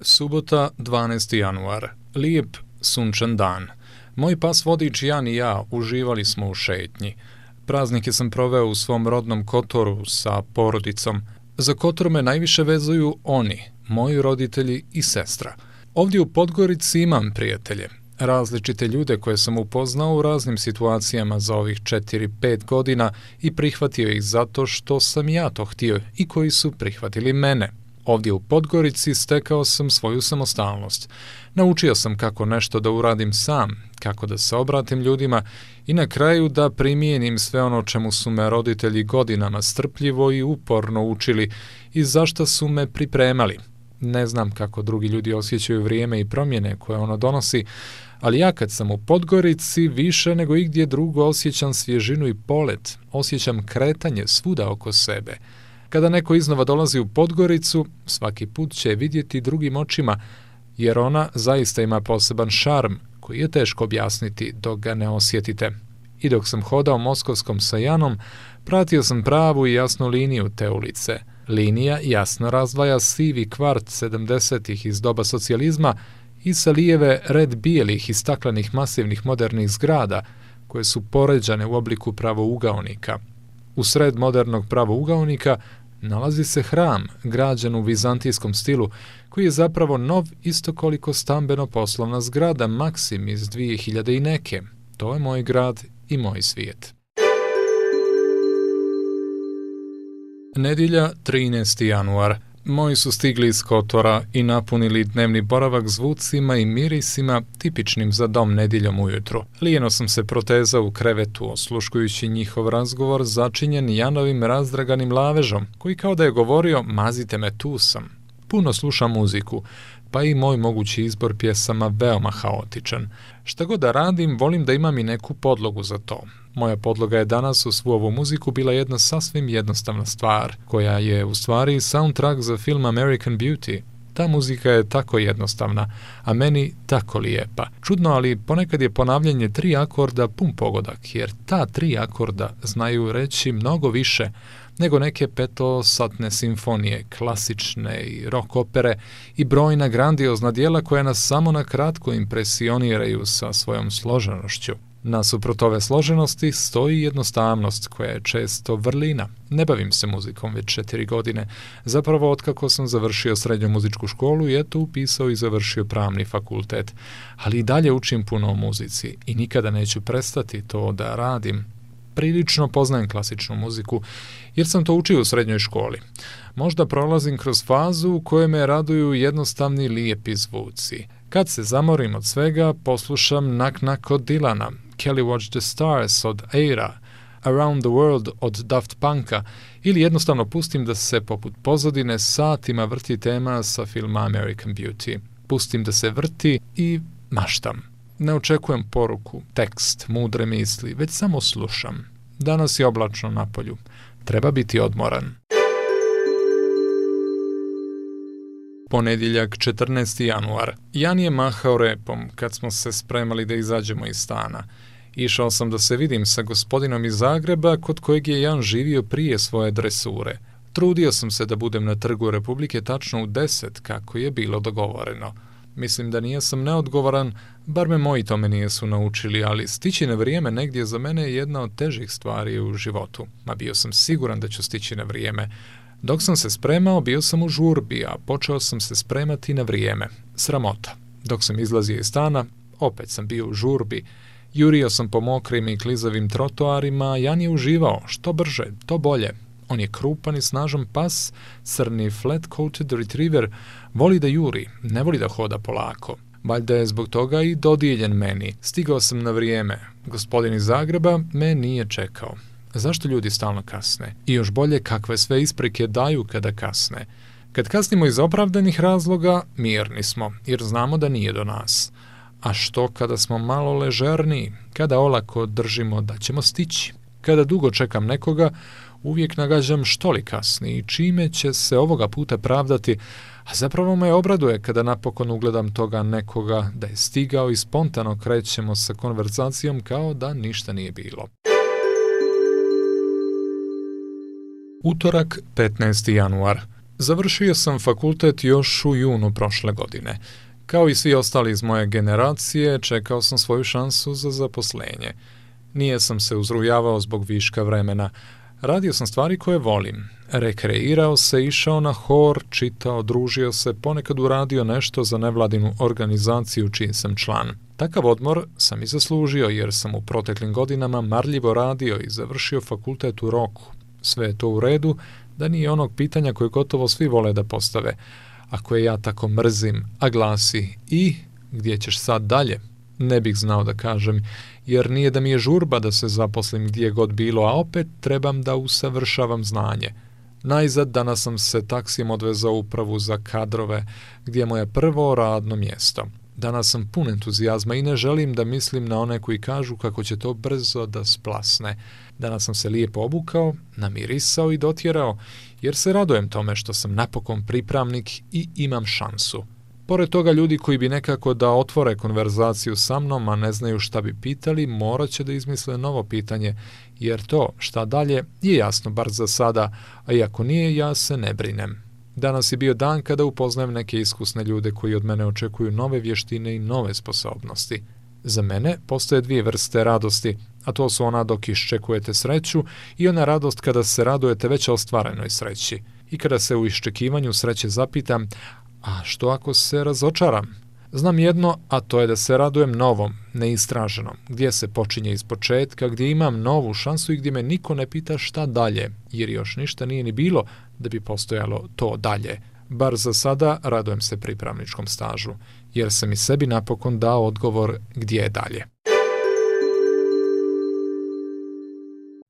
Subota, 12. januar. Lijep, sunčan dan. Moj pas vodič Jan i ja uživali smo u šetnji. Praznike sam proveo u svom rodnom Kotoru sa porodicom. Za Kotor me najviše vezuju oni, moji roditelji i sestra. Ovdje u Podgorici imam prijatelje. Različite ljude koje sam upoznao u raznim situacijama za ovih 4-5 godina i prihvatio ih zato što sam ja to htio i koji su prihvatili mene. Ovdje u Podgorici stekao sam svoju samostalnost. Naučio sam kako nešto da uradim sam, kako da se obratim ljudima i na kraju da primijenim sve ono čemu su me roditelji godinama strpljivo i uporno učili i zašto su me pripremali. Ne znam kako drugi ljudi osjećaju vrijeme i promjene koje ono donosi, ali ja kad sam u Podgorici više nego igdje drugo osjećam svježinu i polet, osjećam kretanje svuda oko sebe. Kada neko iznova dolazi u Podgoricu, svaki put će vidjeti drugim očima, jer ona zaista ima poseban šarm koji je teško objasniti dok ga ne osjetite. I dok sam hodao Moskovskom sa Janom, pratio sam pravu i jasnu liniju te ulice. Linija jasno razdvaja sivi kvart 70-ih iz doba socijalizma i sa lijeve red bijelih i staklenih masivnih modernih zgrada koje su poređane u obliku pravougaonika. U sred modernog pravougaonika nalazi se hram građen u vizantijskom stilu koji je zapravo nov isto koliko stambeno-poslovna zgrada Maksim iz 2000 i neke. To je moj grad i moj svijet. Nedjelja, 13. januar. Moji su stigli iz Kotora i napunili dnevni boravak zvucima i mirisima tipičnim za dom nedjeljom ujutro. Lijeno sam se protezao u krevetu, osluškujući njihov razgovor začinjen Janovim razdraganim lavežom, koji kao da je govorio mazite me, tu sam. Puno slušam muziku, pa i moj mogući izbor pjesama veoma haotičan. Šta god da radim, volim da imam i neku podlogu za to. Moja podloga je danas u svu ovu muziku bila jedna sasvim jednostavna stvar, koja je u stvari soundtrack za film American Beauty. Ta muzika je tako jednostavna, a meni tako lijepa. Čudno, ali ponekad je ponavljanje 3 akorda pun pogodak, jer ta 3 akorda znaju reći mnogo više nego neke petosatne simfonije, klasične i rock opere i brojna grandiozna djela koja nas samo na kratko impresioniraju sa svojom složenošću. Nasuprot ove složenosti stoji jednostavnost koja je često vrlina. Ne bavim se muzikom već 4 godine, zapravo otkako sam završio srednju muzičku školu i eto upisao i završio pravni fakultet. Ali i dalje učim puno o muzici i nikada neću prestati to da radim. Prilično poznajem klasičnu muziku jer sam to učio u srednjoj školi. Možda prolazim kroz fazu u kojoj me raduju jednostavni lijepi zvuci. Kad se zamorim od svega, poslušam Knock Knock od Dylana, Kelly Watch the Stars od Aira, Around the World od Daft Punka ili jednostavno pustim da se poput pozadine satima vrti tema sa filma American Beauty. Pustim da se vrti i maštam. Ne očekujem poruku, tekst, mudre misli, već samo slušam. Danas je oblačno napolju. Treba biti odmoran. Ponedjeljak, 14. januar. Jan je mahao repom kad smo se spremali da izađemo iz stana. Išao sam da se vidim sa gospodinom iz Zagreba kod kojeg je Jan živio prije svoje dresure. Trudio sam se da budem na Trgu Republike tačno u 10 kako je bilo dogovoreno. Mislim da nijesam neodgovoran, bar me moji tome nijesu naučili, ali stići na vrijeme negdje za mene je jedna od težih stvari u životu. Ma bio sam siguran da ću stići na vrijeme. Dok sam se spremao, bio sam u žurbi, a počeo sam se spremati na vrijeme. Sramota. Dok sam izlazio iz stana, opet sam bio u žurbi. Jurio sam po mokrim i klizavim trotoarima, Jan je uživao, što brže, to bolje. On je krupan i snažan pas, crni flat-coated retriever, voli da juri, ne voli da hoda polako. Valjda je zbog toga i dodijeljen meni. Stigao sam na vrijeme. Gospodin iz Zagreba me nije čekao. Zašto ljudi stalno kasne? I još bolje kakve sve isprike daju kada kasne. Kad kasnimo iz opravdanih razloga, mirni smo, jer znamo da nije do nas. A što kada smo malo ležerniji, kada olako držimo da ćemo stići? Kada dugo čekam nekoga, uvijek nagađam što li kasni i čime će se ovoga puta pravdati, a zapravo me obraduje kada napokon ugledam toga nekoga da je stigao i spontano krećemo sa konverzacijom kao da ništa nije bilo. Utorak, 15. januar. Završio sam fakultet još u junu prošle godine. Kao i svi ostali iz moje generacije, čekao sam svoju šansu za zaposlenje. Nije sam se uzrujavao zbog viška vremena. Radio sam stvari koje volim. Rekreirao se, išao na hor, čitao, družio se, ponekad uradio nešto za nevladinu organizaciju čiji sam član. Takav odmor sam i zaslužio jer sam u proteklim godinama marljivo radio i završio fakultet u roku. Sve je to u redu, da nije onog pitanja koje gotovo svi vole da postave, a koje ja tako mrzim, a glasi: i gdje ćeš sad dalje? Ne bih znao da kažem, jer nije da mi je žurba da se zaposlim gdje god bilo, a opet trebam da usavršavam znanje. Najzad danas sam se taksijem odvezao u upravu za kadrove, gdje je moje prvo radno mjesto. Danas sam pun entuzijazma i ne želim da mislim na one koji kažu kako će to brzo da splasne. Danas sam se lijepo obukao, namirisao i dotjerao, jer se radujem tome što sam napokon pripravnik i imam šansu. Pored toga, ljudi koji bi nekako da otvore konverzaciju sa mnom, a ne znaju šta bi pitali, morat će da izmisle novo pitanje, jer to šta dalje je jasno bar za sada, a i ako nije, ja se ne brinem. Danas je bio dan kada upoznajem neke iskusne ljude koji od mene očekuju nove vještine i nove sposobnosti. Za mene postoje dvije vrste radosti, a to su ona dok iščekujete sreću i ona radost kada se radujete već ostvarenoj sreći. I kada se u iščekivanju sreće zapitam: a što ako se razočaram? Znam jedno, a to je da se radujem novom, neistraženom, gdje se počinje iz početka, gdje imam novu šansu i gdje me niko ne pita šta dalje, jer još ništa nije ni bilo da bi postojalo to dalje. Bar za sada radujem se pripravničkom stažu, jer sam i sebi napokon dao odgovor gdje je dalje.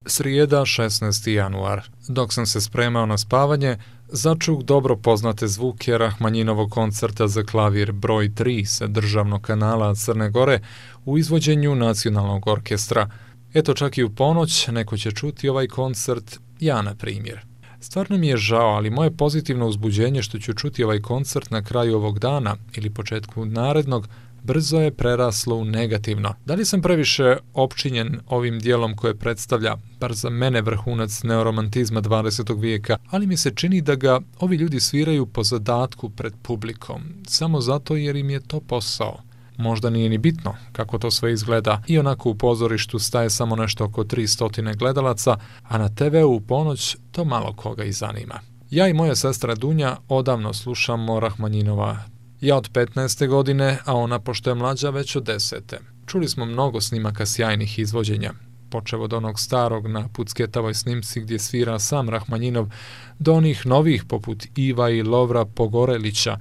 Srijeda, 16. januar. Dok sam se spremao na spavanje, začuh dobro poznate zvuke Rahmanjinovog koncerta za klavir broj 3 sa državnog kanala Crne Gore u izvođenju Nacionalnog orkestra. Eto, čak i u ponoć neko će čuti ovaj koncert, ja na primjer. Stvarno mi je žao, ali moje pozitivno uzbuđenje što ću čuti ovaj koncert na kraju ovog dana ili početku narednog brzo je preraslo u negativno. Da li sam previše opčinjen ovim dijelom koje predstavlja, bar za mene, vrhunac neoromantizma 20. vijeka, ali mi se čini da ga ovi ljudi sviraju po zadatku pred publikom, samo zato jer im je to posao. Možda nije ni bitno kako to sve izgleda, i onako u pozorištu staje samo nešto oko 300 gledalaca, a na TV-u u ponoć to malo koga i zanima. Ja i moja sestra Dunja odavno slušamo Rahmanjinova. Ja od 15. godine, a ona, pošto je mlađa, već od 10. Čuli smo mnogo snimaka sjajnih izvođenja, počev od onog starog na pucketavoj snimci gdje svira sam Rahmanjinov, do onih novih poput Iva i Lovra Pogorelića.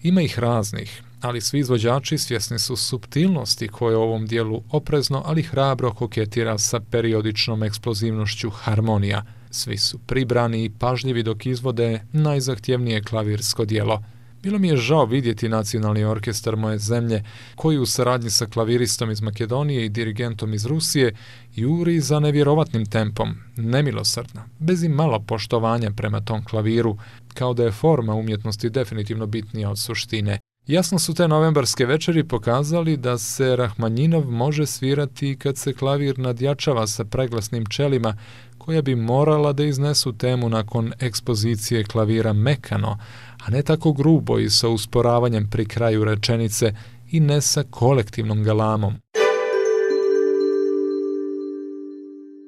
Ima ih raznih, ali svi izvođači svjesni su suptilnosti koje u ovom dijelu oprezno, ali hrabro koketira sa periodičnom eksplozivnošću harmonija. Svi su pribrani i pažljivi dok izvode najzahtjevnije klavirsko djelo. Bilo mi je žao vidjeti Nacionalni orkestar moje zemlje, koji u saradnji sa klaviristom iz Makedonije i dirigentom iz Rusije juri za nevjerovatnim tempom, nemilosrdno, bez i malo poštovanja prema tom klaviru, kao da je forma umjetnosti definitivno bitnija od suštine. Jasno su te novembarske večeri pokazali da se Rahmanjinov može svirati kad se klavir nadjačava sa preglasnim čelima, koja bi morala da iznesu temu nakon ekspozicije klavira mekano, a ne tako grubo i sa usporavanjem pri kraju rečenice i ne sa kolektivnom galamom.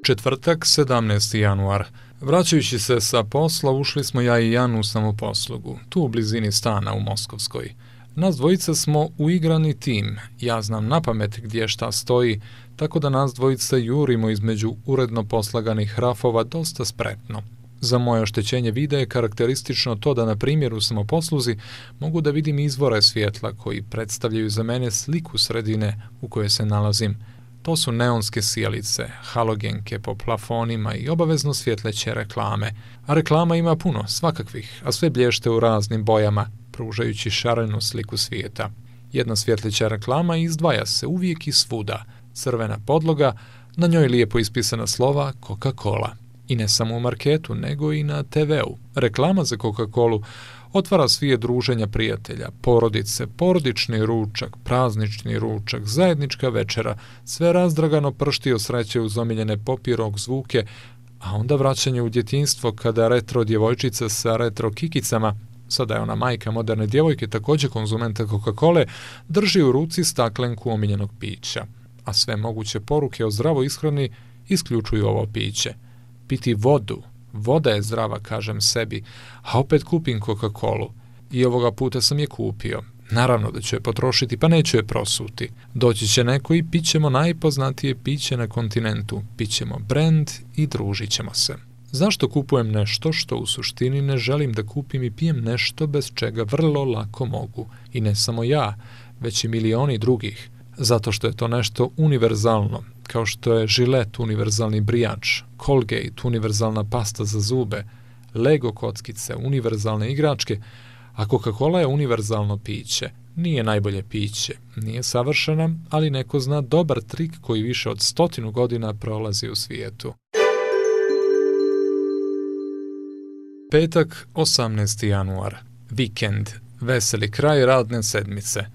Četvrtak, 17. januar. Vraćajući se sa posla, ušli smo ja i Jan u samoposlugu, tu u blizini stana u Moskovskoj. Nas dvojica smo uigrani tim, ja znam napamet gdje šta stoji, tako da nas dvojica jurimo između uredno poslaganih rafova dosta spretno. Za moje oštećenje vida je karakteristično to da na primjer u samoposluzi mogu da vidim izvore svjetla koji predstavljaju za mene sliku sredine u kojoj se nalazim. To su neonske sijalice, halogenke po plafonima i obavezno svjetleće reklame. A reklama ima puno, svakakvih, a sve blješte u raznim bojama, pružajući šarenu sliku svijeta. Jedna svjetleća reklama izdvaja se uvijek i svuda. Crvena podloga, na njoj lijepo ispisana slova Coca-Cola. I ne samo u marketu, nego i na TV-u. Reklama za Coca-Colu otvara svije druženja prijatelja, porodice, porodični ručak, praznični ručak, zajednička večera, sve razdragano pršti od sreće uz omiljene pop i rock zvuke, a onda vraćanje u djetinjstvo kada retro djevojčica sa retro kikicama, sada je ona majka moderne djevojke, također konzumenta Coca-Cole, drži u ruci staklenku omiljenog pića, a sve moguće poruke o zdravoj ishrani isključuju ovo piće. Piti vodu, voda je zdrava, kažem sebi, a opet kupim Coca-Colu. I ovoga puta sam je kupio. Naravno da ću je potrošiti, pa neću je prosuti. Doći će neko i pićemo najpoznatije piće na kontinentu. Pićemo brand i družit ćemo se. Zašto kupujem nešto što u suštini ne želim da kupim i pijem nešto bez čega vrlo lako mogu? I ne samo ja, već i milioni drugih. Zato što je to nešto univerzalno, kao što je Gillette univerzalni brijač, Colgate univerzalna pasta za zube, Lego kockice, univerzalne igračke, a Coca-Cola je univerzalno piće. Nije najbolje piće, nije savršena, ali neko zna dobar trik koji više od 100 godina prolazi u svijetu. Petak, 18. januar. Vikend. Veseli kraj radne sedmice.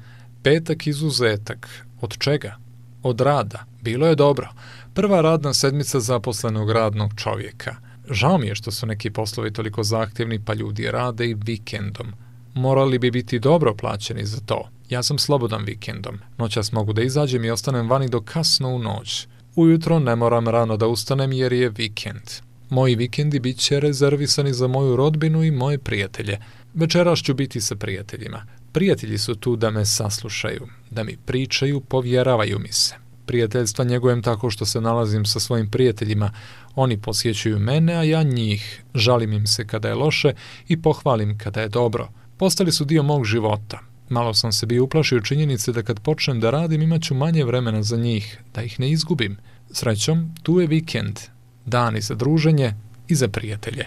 Petak izuzetak. Od čega? Od rada. Bilo je dobro. Prva radna sedmica zaposlenog radnog čovjeka. Žao mi je što su neki poslovi toliko zahtjevni, pa ljudi rade i vikendom. Morali bi biti dobro plaćeni za to. Ja sam slobodan vikendom. Noćas mogu da izađem i ostanem vani do kasno u noć. Ujutro ne moram rano da ustanem jer je vikend. Moji vikendi bit će rezervisani za moju rodbinu i moje prijatelje. Večeras ću biti sa prijateljima. Prijatelji su tu da me saslušaju, da mi pričaju, povjeravaju mi se. Prijateljstva njegujem tako što se nalazim sa svojim prijateljima. Oni posjećuju mene, a ja njih. Žalim im se kada je loše i pohvalim kada je dobro. Postali su dio mog života. Malo sam se bio uplašio činjenice da kad počnem da radim imat ću manje vremena za njih, da ih ne izgubim. Srećom, tu je vikend. Dani za druženje i za prijatelje.